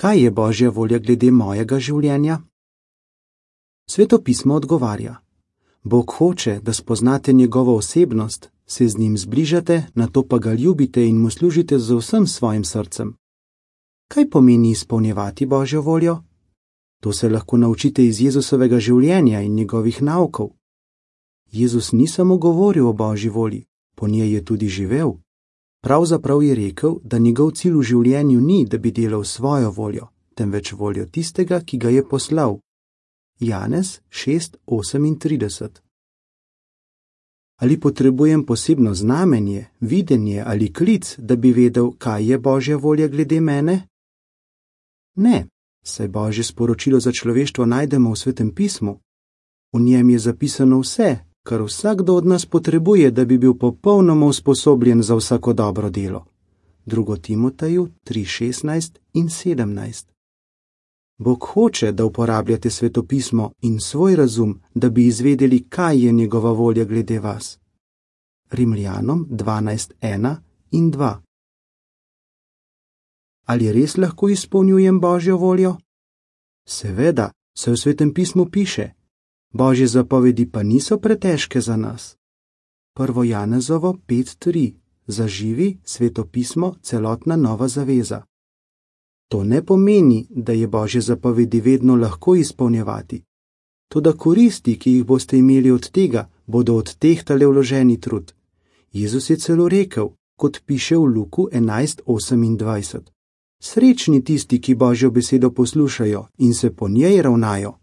Kaj je Božja volja glede mojega življenja? Sveto pismo odgovarja: Bog hoče, da spoznate njegovo osebnost, se z njim zbližate, nato pa ga ljubite in mu služite z vsem svojim srcem. Kaj pomeni izpolnjevati Božjo voljo? To se lahko naučite iz Jezusovega življenja in njegovih naukov. Jezus ni samo govoril o Božji volji, po njej je tudi živel. Pravzaprav je rekel, da njegov cilj v življenju ni, da bi delal svojo voljo, temveč voljo tistega, ki ga je poslal. Janez 6:38. Ali potrebujem posebno znamenje, videnje ali klic, da bi vedel, kaj je Božja volja glede mene? Ne, saj Božje sporočilo za človeštvo najdemo v Svetem pismu. V njem je zapisano vse, kar vsakdo od nas potrebuje, da bi bil popolnoma usposobljen za vsako dobro delo. 2. Timoteju 3:16 in 17. Bog hoče, da uporabljate Sveto pismo in svoj razum, da bi izvedeli, kaj je njegova volja glede vas. Rimljanom 12:1 in 2. Ali res lahko izpolnjujem Božjo voljo? Seveda, saj v Svetem pismu piše: Božje zapovedi pa niso pretežke za nas. 1. Janezovo 5:3. Zaživi, Sveto pismo, celotna nova zaveza. To ne pomeni, da je Božje zapovedi vedno lahko izpolnjevati. Toda koristi, ki jih boste imeli od tega, bodo odtehtale vloženi trud. Jezus je celo rekel, kot piše v Luku 11:28. Srečni tisti, ki Božjo besedo poslušajo in se po njej ravnajo.